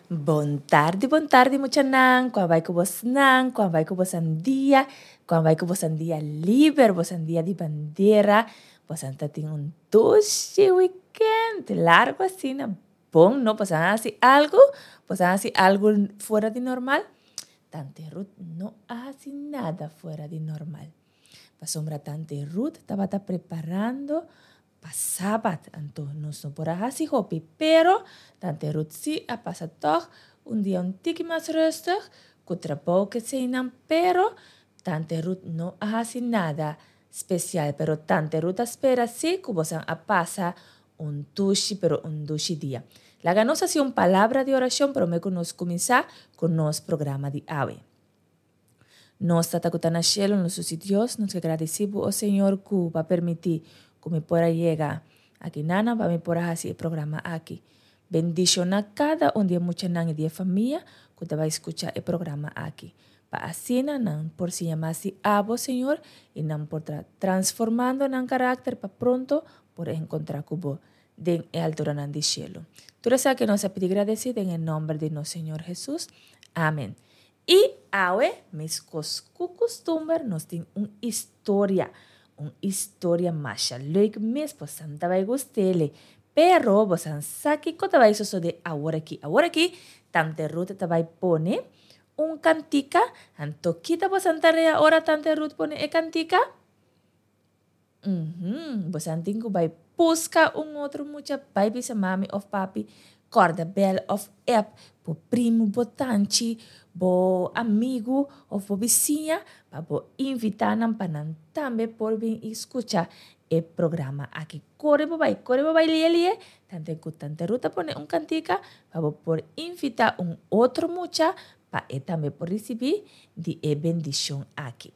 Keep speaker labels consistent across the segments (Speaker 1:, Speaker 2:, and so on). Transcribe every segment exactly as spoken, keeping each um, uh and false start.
Speaker 1: Bon tardi, bon tardi muchanan, kon a bai ku bosnan, kon a bai ku bosan dia, kon a bai ku bosan dia liber, bosan dia di bandera, bosan ta tin un dushi weekend largu asina, bon no, bosan a hasi algu, bosan a hasi algu fuera di normal? Tante Ruth no a hasi nada fuera di normal, pasobra Tante Ruth tabata preparando pa sabat, anto nos no por a hasi hopi, pero Tante Ruth sí a pasa tòg un dia un tiki mas rustig ku trabou keseinan, pero Tante Ruth no a hasi nada spesial, pero Tante Ruth a spera sí ku bosan a pasa un dushi pero un dushi dia. Laga nos hasi un palabra di orashon promé ku nos kuminsá ku nos programa di awe. Nos Tata ku ta na shelu, nos Susi Dios, nos ke gradisí bo, o Señor, ku bo a permití ku mi por a yega aki nana pa mi por a hasi e programa aki. Bendishoná kada un di e muchanan i di e famia ku ta bai skucha e programa aki, pa asina nan por siña mas di abo, Señor, i nan por ta transformando nan karakter pa pronto por enkontrá ku bo den e alturanan di shelu. Tur esaki nos a pidi gradesí den e nòmber di nos Señor Hesus. Amen. I awe, meskos ku kustumber, nos tin un istoria. Un istoria masha leuk mes, bosan ta bai gust'ele. Pero bosan sa kiko ta bai sosodé aworakí. Aworakí Tante Ruth ta bai pone un kantika. Anto kita bosan tarea ora Tante Ruth pone e kantika? Uhum, bosan tin ku bai buska un otro mucha, bai bisa mami òf papi, kòrda bèl òf app bo primu, bo tanchi, bo amigu òf bo bisiña pa bo invitá nan pa nan tambe por bin i skucha e programa aki. Kore bo bai, kore bo bai lie lie, tante ku Tante Ruth a pone un kantika pa bo por invitá un otro mucha pa e tambe por risibí di e bendishon aki.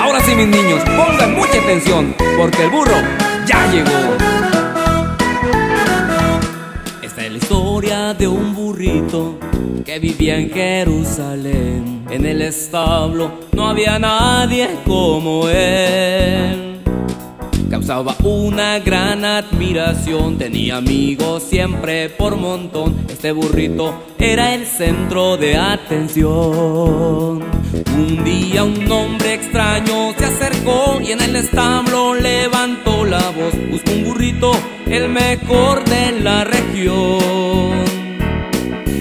Speaker 2: Ahora sí, mis niños, pongan mucha atención, porque el burro ya llegó. Esta es la historia de un burrito que vivía en Jerusalén. En el establo no había nadie como él. Causaba una gran admiración, tenía amigos siempre por montón. Este burrito era el centro de atención. Un día un hombre extraño se acercó y en el establo levantó la voz. Buscó un burrito, el mejor de la región.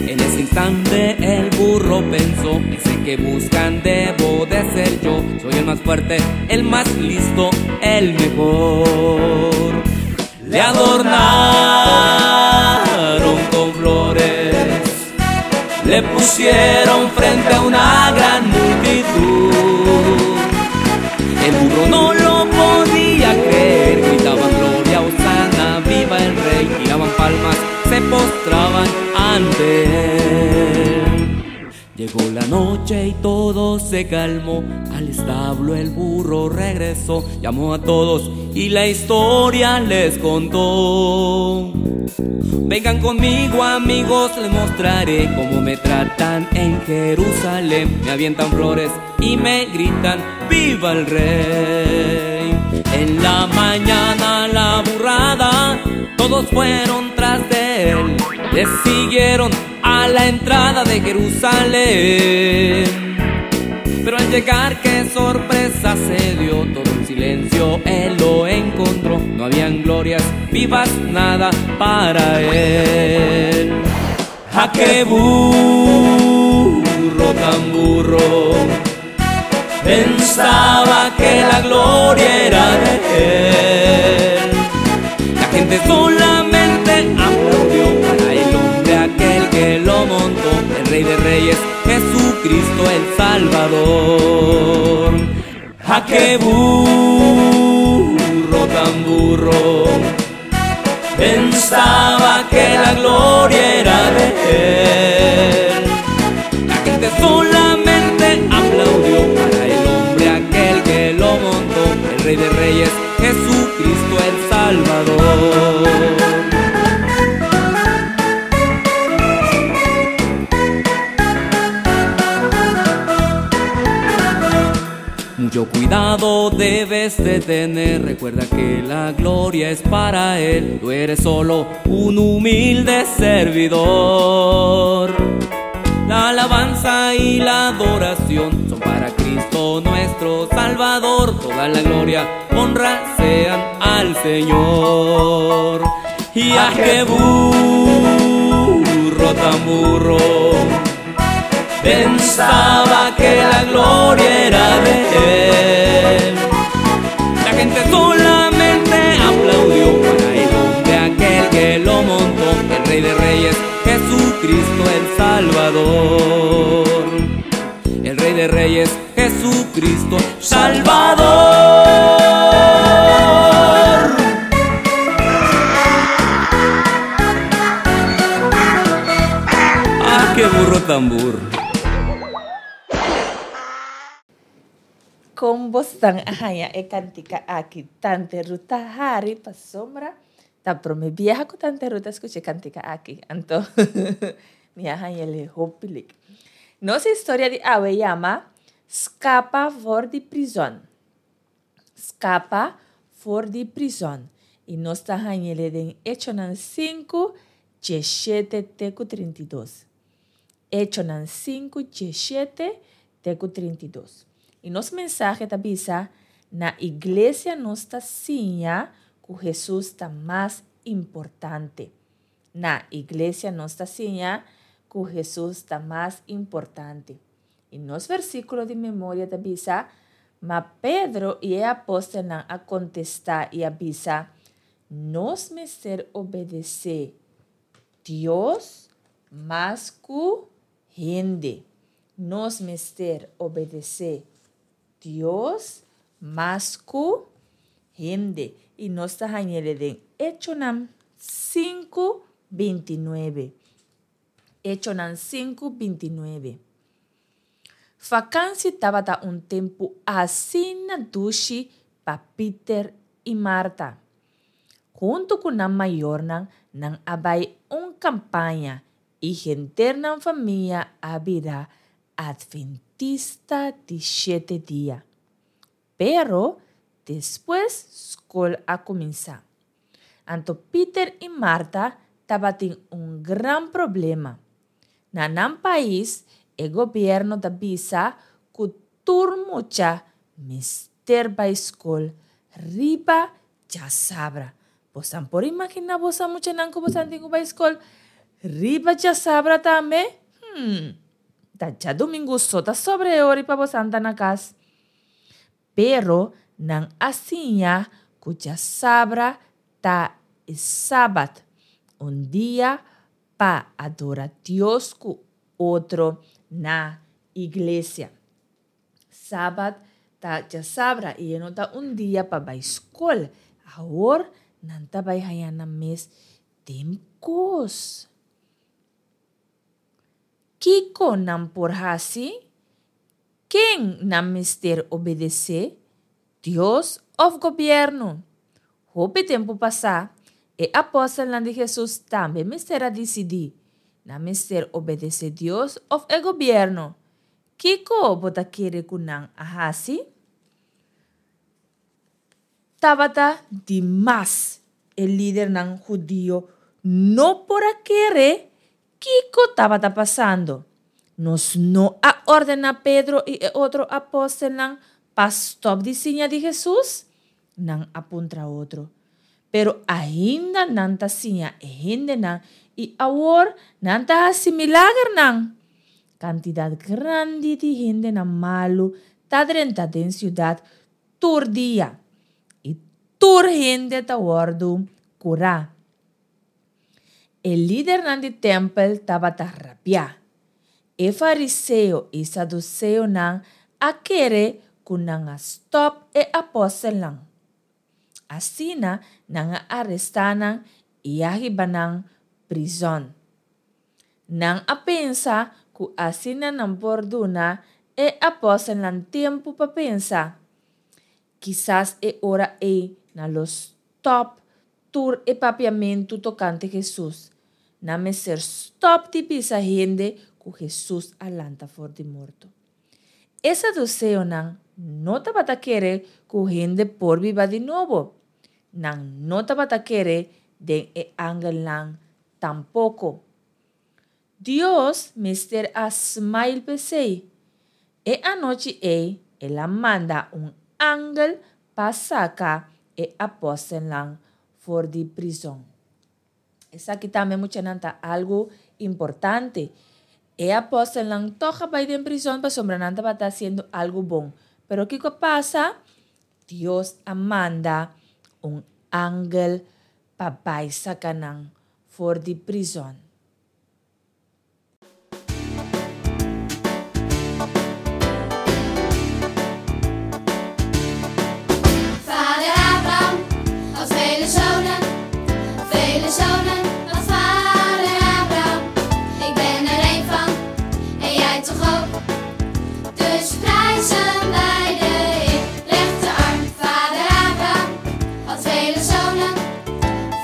Speaker 2: En ese instante el burro pensó, ese que buscan debo de ser yo. Soy el más fuerte, el más listo, el mejor. Le adornaron con flores, le pusieron frente a una gran multitud. El burro no lo podía creer, gritaban gloria, hosana, viva el rey, tiraban palmas, se postraban ante él. Llegó la noche y todo se calmó, al establo el burro regresó, llamó a todos y la historia les contó. Vengan conmigo amigos, les mostraré cómo me tratan en Jerusalén. Me avientan flores y me gritan ¡viva el rey! En la mañana la burrada, todos fueron tras de él, le siguieron a la entrada de Jerusalén. Pero al llegar, qué sorpresa se dio, todo en silencio él lo encontró. No habían glorias vivas, nada para él. ¡Ja, qué burro tan burro! Pensaba que la gloria era de él. La gente solamente aplaudió para el hombre aquel que lo montó, el Rey de Reyes, Jesucristo el Salvador. ¡Ja, qué burro tan burro! Pensaba que la gloria era de él. La gente solamente aplaudió para el hombre aquel que lo montó, el Rey de Reyes, Jesucristo el Salvador. Mucho cuidado Cuidado debes de tener, recuerda que la gloria es para Él, tú eres solo un humilde servidor. La alabanza y la adoración son para Cristo nuestro Salvador, toda la gloria, honra sean al Señor. Y a qué burro tan burro, pensaba que la gloria era de él. La gente solamente aplaudió para el hombre aquel que lo montó, el Rey de Reyes, Jesucristo el Salvador. El Rey de Reyes, Jesucristo Salvador. ¡Ah, qué burro tan burro!
Speaker 1: Kon bosnan a haña e kantika aki Tante Ruth ta hari pasobra ta promé biaha ku Tante Ruth a skucha e kantika aki anto mi a haña hopi leuk. Nos historia di awe yama Skapa for di prizòn. Skapa for di prizòn. I nos ta hañ'é den Echonan sinku, diesshete te ku trinta i dos. Echonan sinku, diesshete te ku trinta i dos. I nos mensahe ta bisa, na iglesia nos ta siña ku Hesus ta mas importante. Na iglesia nos ta siña ku Hesus ta mas importante. I nos versíkulo di memoria ta bisa, Ma Pedro i e apòstelnan a kontestá i a bisa, Nos mester obedesé Dios mas ku hende. Nos mester obedesé Dios mas ku hende. I nos ta hañ'é den Echonan sinku binti nuebe. Echonan sinku binti nuebe. Vakansi tabata un tempu asina dushi pa Peter i Martha. Huntu ku nan mayornan nan a bai un kampaña i henter nan famia a bira Adventista di shete dia. Pero despues skol a kuminsá. Anto Peter i Martha tabatin un gran problema. Na nan pais e gobièrnu ta bisa ku tur mucha mester bai skol riba djasabra. Bosan por imaginá bosan muchanan ku bosan tin ku bai skol riba djasabra tambe? Hmm, ta djadumingu so ta sobra e ora pa bosan ta na kas. Pero nan a siña ku djasabra ta e sabat, un dia pa adora Dios ku otro na iglesia. Sabat ta djasabra i e no ta un dia pa bai skol. Awor nan ta bai haña nan mes den kos. Kiko nan por hasi? Ken nan mester obedesé? Dios òf gobièrnu? Hopi tempu pasá, e apòstelnan di Hesus tambe mester a disidí. Nan mester obedesé Dios òf e gobièrnu? Kiko bo ta kere ku nan a hasi? Tabata di mas. E lidernan hudio no por a kere kiko tabata pasando. Nos no a ordená Pedro i e otro apòstelnan pa stòp di siña di Hesus? Nan a puntra otro. Pero ainda nan ta siña e hendenan i awor nan ta hasi milagernan. Kantidat grandi di hendenan malu ta drenta den siudat tur dia i tur hende ta wòrdu kurá. E lidernan di tèmpel tabata rabiá. E fariseo i saduseonan a kere ku nan a stòp e apòstelnan. Asina nan a arestá nan i a hiba nan prizòn. Nan a pensa ku asina nan por duna e apòstelnan tempu pa pensa. Kisas e ora ei nan lo stòp tur e papiamentu tokante Hesus. Nan mester stòp di bisa hende ku Hesus a lanta for di morto. E saduseonan no tabata kere ku hende por biba di nobo. Nan no tabata kere den e angelnan tampoko. Dios mester a smail p'esei. E anochi ei el a manda un angel pa saka e apòstelnan for di prizòn. Esaki tambe, muchanan, ta algu importante. E apòstelnan tòg a bai den prizòn pasobra nan tabata hasiendo algu bon. Pero kiko a pasa? Dios a manda un angel pa bai saka nan for di prizòn.
Speaker 3: Vader Abraham had vele zonen, vele zonen had vader Abraham. Ik ben er een van en jij toch ook. Dus prijzen wij de Heer, rechterarm. Vader Abraham had vele zonen,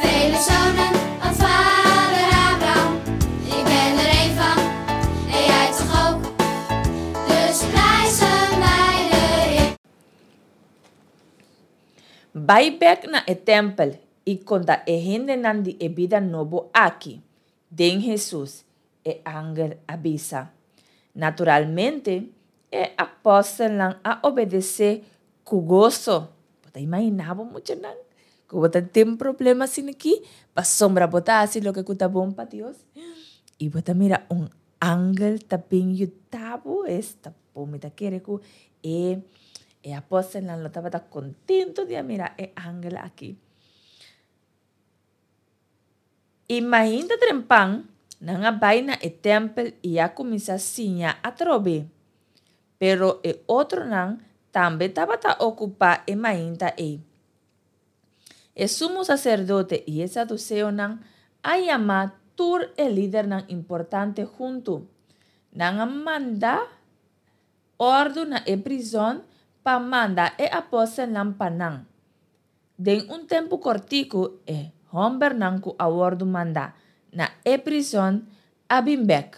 Speaker 3: vele zonen had vader Abraham. Ik ben er een van en jij toch ook. Dus prijzen wij de Heer.
Speaker 1: Bai bèk na e tèmpel i konta e hendenan di e bida nobo aki den Hesus, e angel a bisa. Naturalmente, e apòstelnan a obedesé ku goso. Bo ta imaginá bo, muchanan, ku bo ta den problema asina aki pasobra bo ta hasi loke ku ta bon pa Dios i bo ta mira un angel ta bin yuda bo? Esta bon! Mi ta kere ku e E apòstelnan lo tabata kontentu di a mira e angel aki. I mainta trempan, nan a bai na e tèmpel i a kuminsá siña atrobe. Pero e otronan tambe tabata okupá e mainta ei. E sumo saserdote i e saduseonan a yama tur e lidernan importante huntu. Nan a manda òrdu na e prizòn pa manda e apòstelnan pa nan. Den un tempu kòrtiku e hòmbernan ku a wòrdu mandá na e prizòn a bin bèk.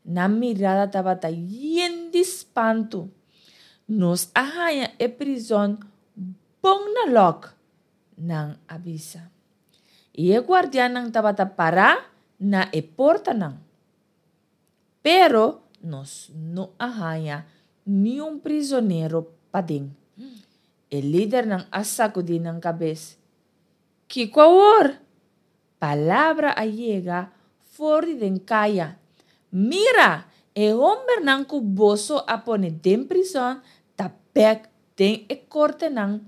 Speaker 1: Nan mirada tabata yen di spantu. Nos a haña e prizòn bon na lòk, nan a bisa. I e guardiannan tabata pará na e portanan. Pero nos no a haña niun prizonero paden. E lidernan a sakudí nan kabes. Kiko awor? Palabra a yega for di den kaya, Mira! E hombernan ku boso a pone den prizòn ta bèk den e kortenan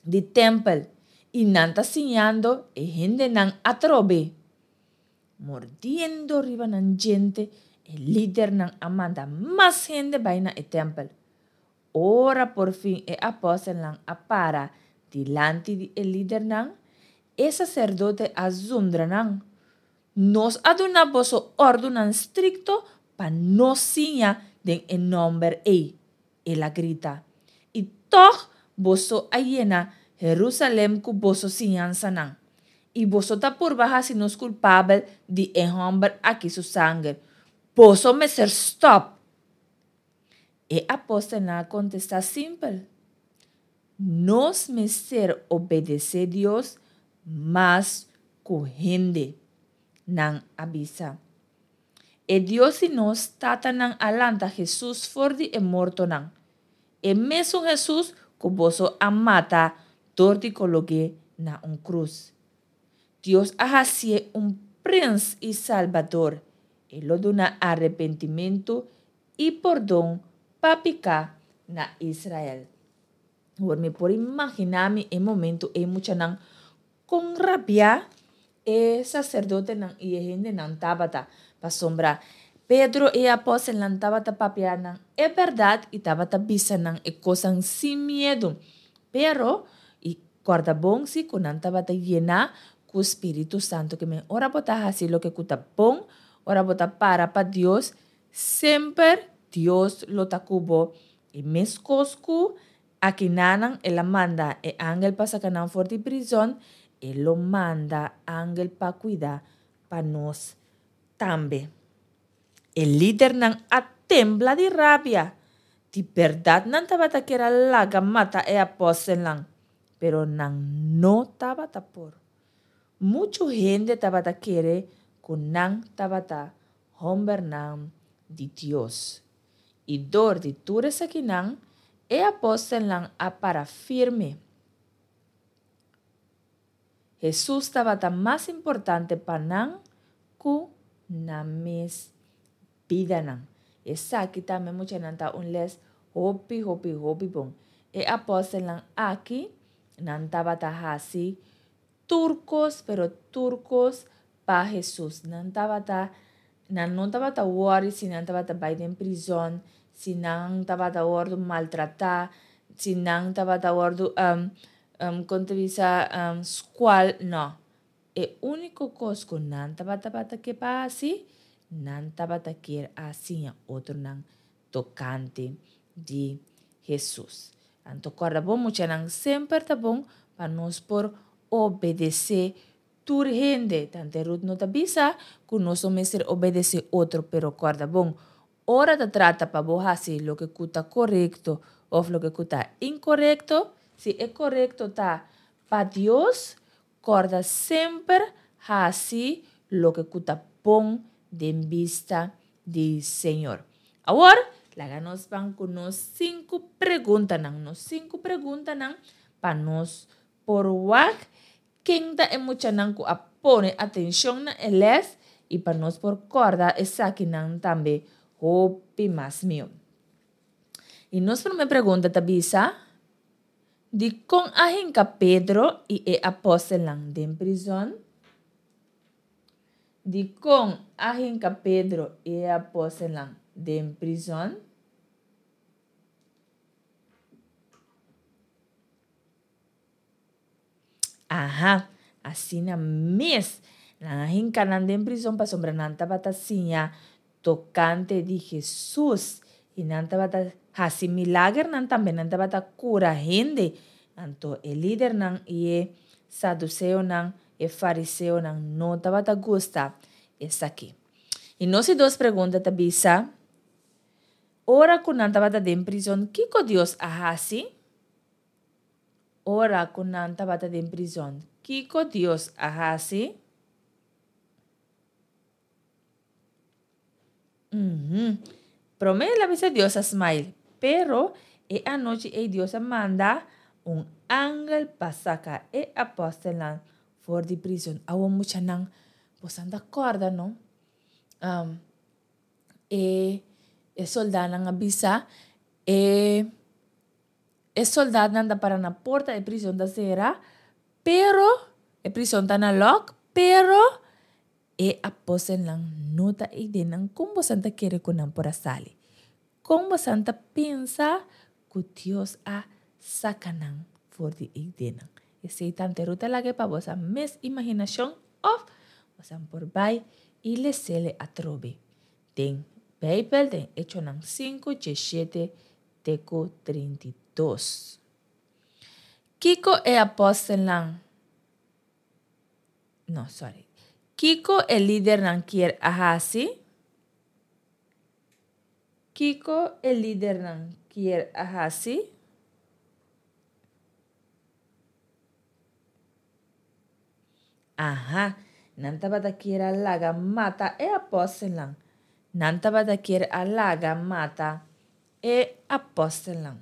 Speaker 1: di tèmpel i nan ta siñando e hendenan atrobe. Mordiendo riba nan djente, e lidernan a manda mas hende bai na e tèmpel. Ora por fin e apòstelnan a para dilanti di e lidernan, e saserdote a zundra nan, Nos a duna boso òrdunan strikto pa no siña den e nòmber ei, el a grita, i tòg boso a yena Herúsalèm ku boso siñansanan. I boso ta purba hasi nos kulpabel di e hòmber akí su sanger. Boso mester stòp! E apòstelnan a kontestá simpel, Nos mester obedesé Dios mas ku hende, nan a bisa. E Dios di nos tatanan a lanta Hesus for di e mortonan, e mesun Hesus ku boso a mata dor di kolog'é na un krus. Dios a hasié un Prens i Salbador. E lo duna arepentimentu i pordon pa piká na Israel. Awor mi por imaginá mi e momentu ei muchanan kon rabiá e saserdotenan i e hendenan tabata, pasobra Pedro i e apòstelnan tabata papia nan e bèrdat i tabata bisa nan e kosnan sin miedu. Pero, i kòrda bon si ku nan tabata yená ku spiritu santu. Ke men ora bo ta hasi loke ku ta bon, ora bo ta para pa Dios, semper Dios lo ta ku bo. I meskos ku akinanan el a manda e angel pa saka nan for di prizòn, e lo manda angel pa kuida pa nos tambe. E lidernan a tembla di rabia. Di bèrdat nan tabata kier a laga mata e apòstelnan, pero nan no tabata por. Muchu hende tabata kere ku nan tabata hòmbernan di Dios. I dor di tur esakinan, e apòstelnan a para firme. Hesus tabata mas importante pa nan ku nan mes bidanan. Esaki tambe muchanan ta un lès hopi hopi hopi bon. E apòstelnan aki nan tabata hasi tur kos pero tur kos pa Hesus. Nan tabata nan no tabata wòri si nan tabata bai den prizòn, si nan tabata wòrdu maltratá, si nan tabata wòrdu kon ta bisa skual, nò. E úniko kos ku nan tabata tabata ke pa hasi, nan tabata kier a siña otronan tokante di Hesus. Anto kòrda bon muchanan, semper ta bon pa nos por obedesé tur hende. Tante Ruth no ta bisa ku nos no mester obedesé otro, pero kòrda bon, ora ta trata pa bo hasi loke ku ta korekto òf loke ku ta inkorekto, si e korekto ta pa Dios, kòrda semper hasi loke ku ta bon den bista di Señor. Awor, laga nos ban ku nos sinku preguntanan, nos sinku preguntanan pa nos por wak ken ta e muchanan ku a pone atenshon na e lès i pa nos por kòrda esakinan tambe hopi mas mihó. I nos promé pregunta ta bisa, Dikon a hinka Pedro i e apòstelnan den prizòn? Dikon a hinka Pedro i e apòstelnan den prizòn? Aha, asina mes. Nan a hinka nan den prizon pasobra nan tabata siña tokante di Hesus i nan tabata hasi milagernan tambe, nan tabata kura hende. Anto e lidernan i e saduseonan, e fariseonan no tabata gusta esaki. I nos di dos pregunta ta bisa, Ora ku nan tabata den prizon, kiko Dios a hasi? Ora ku nan tabata den prizon, kiko Dios a hasi? Mhm. Promé el a bisa Dios a smile, pero e anochi ei Dios a manda un angel pa saka e apòstelnan for di prizon. Awor muchanan, bosan ta kòrda no? Um, e e soldánan a bisa e e soldatnan ta para na porta, e prison ta sera, pero e prison ta na lòk, pero e apostelnan no ta ei den nan. Kon bosan ta kere ku nan por a sali? Kon bosan ta pensa ku Dios a saka nan for di ei den nan? Esei tante Ruth a laga pa bosan mes imaginashon òf bosan por bai i les'é atrobe den Beibel den Echonan sinku djeshete te ku trinta i dos. Kiko e apòstelnan, no, sorry, kiko e lidernan kier a hasi? Kiko e lidernan kier a hasi? Aha, nan tabata kier a laga mata e apòstelnan. Nan tabata kier a laga mata e apòstelnan.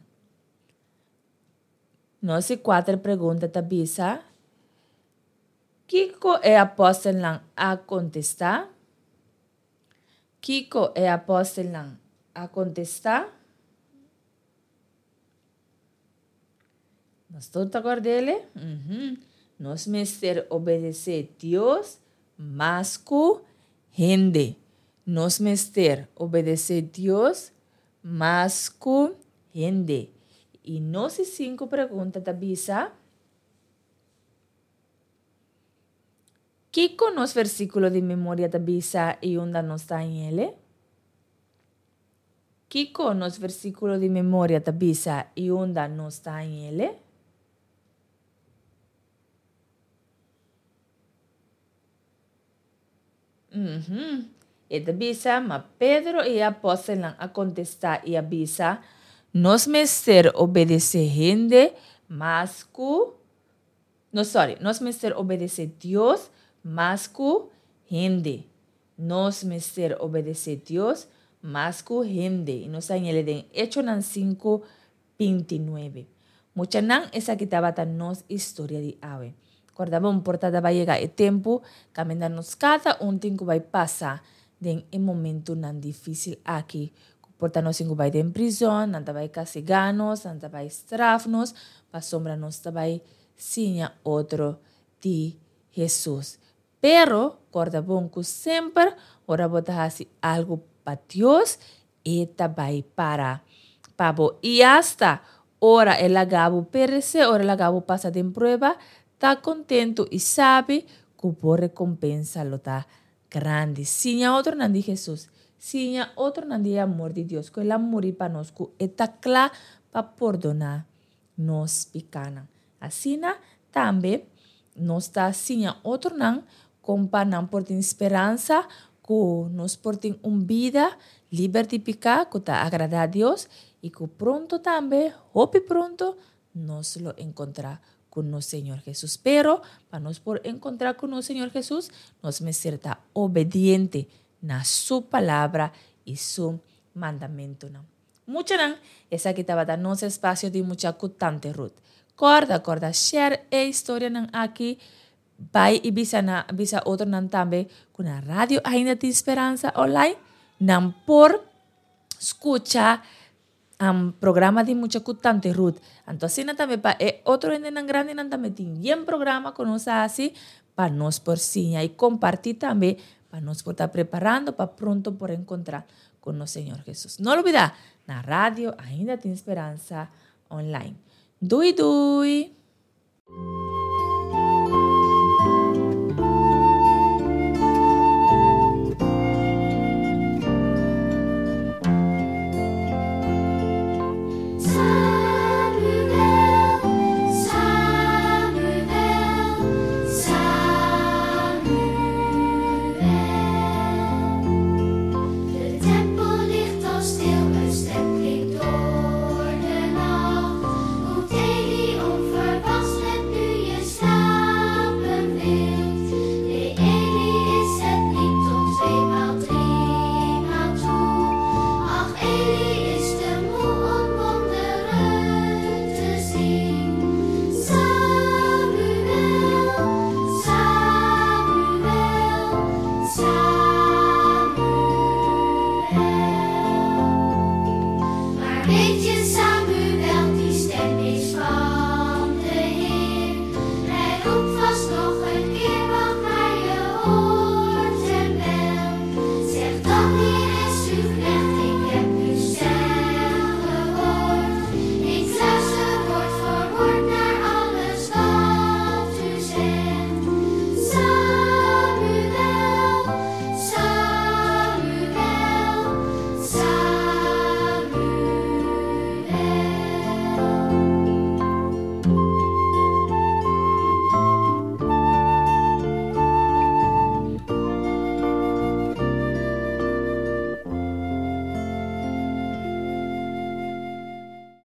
Speaker 1: Nos di kuater pregunta ta bisa, Kiko e apòstelnan a kontestá? Kiko e apòstelnan a kontestá? Nos tur ta kòrd'é? Mhm. Nos mester obedesé Dios mas ku hende. Nos mester obedesé Dios mas ku hende. I nos di sinku pregunta ta bisa, Kiko nos versíkulo di memoria ta bisa i unda nos ta hañ'é? Kiko nos versíkulo di memoria ta bisa i unda nos ta hañ'é? Mhm. E ta bisa, ma Pedro i e apòstelnan a kontestá i a bisa, Nos mester obedesé hende mas ku no sorry, nos mester obedesé Dios mas ku hende. Nos mester obedesé Dios mas ku hende. I nos a hañ'é den Echonan sinku binti nuebe. Muchanan, esaki tabata nos historia di awe. Kòrda bon, por ta bai yega e tempu kaminda nos kada un tin ku bai pasa den e momentunan difísil aki. Ku por ta nos tin ku bai den prizòn, nan ta bai kastigá nos, nan ta bai straf nos, pasobra nos ta bai siña otro di Hesus. Pero, kòrda bon ku semper ora bo ta hasi algu pa Dios, e ta bai para pa bo. I asta ora e laga bo peresé, ora e laga bo pasa den prueba, ta kontentu i sabi ku bo rekompensa lo ta grandi. Siña otronan di Hesus. Siña otronan di e amor di Dios, ku el a muri pa nos, ku e ta kla pa pordoná nos pikánan. Asina tambe nos ta siña otronan kon pa nan por tin speransa ku nos por tin un bida liber di piká ku ta agradá Dios i ku pronto tambe, hopi pronto, nos lo enkontrá ku nos Señor Hesus. Pero pa nos por enkontrá ku nos Señor Hesus, nos mester ta obediente na su palabra i su mandamentunan. Muchanan, esaki tabata nos espasio di Mucha ku Tante Ruth. Kòrda, kòrda share e historianan aki. Bai i bisa na bisa otronan tambe ku na Radio Ainda Tin Speransa online nan por skucha um, programa di Mucha ku Tante Ruth. Anto asina tambe pa e otro hendenan grandinan tambe tin yen programa ku nos a hasi pa nos por siña i kompartí tambe pa nos por ta preparando pa pronto por enkontrá ku nos Señor Hesus. No lubidá, na Radio Ainda Tin Speransa online. Dui dui!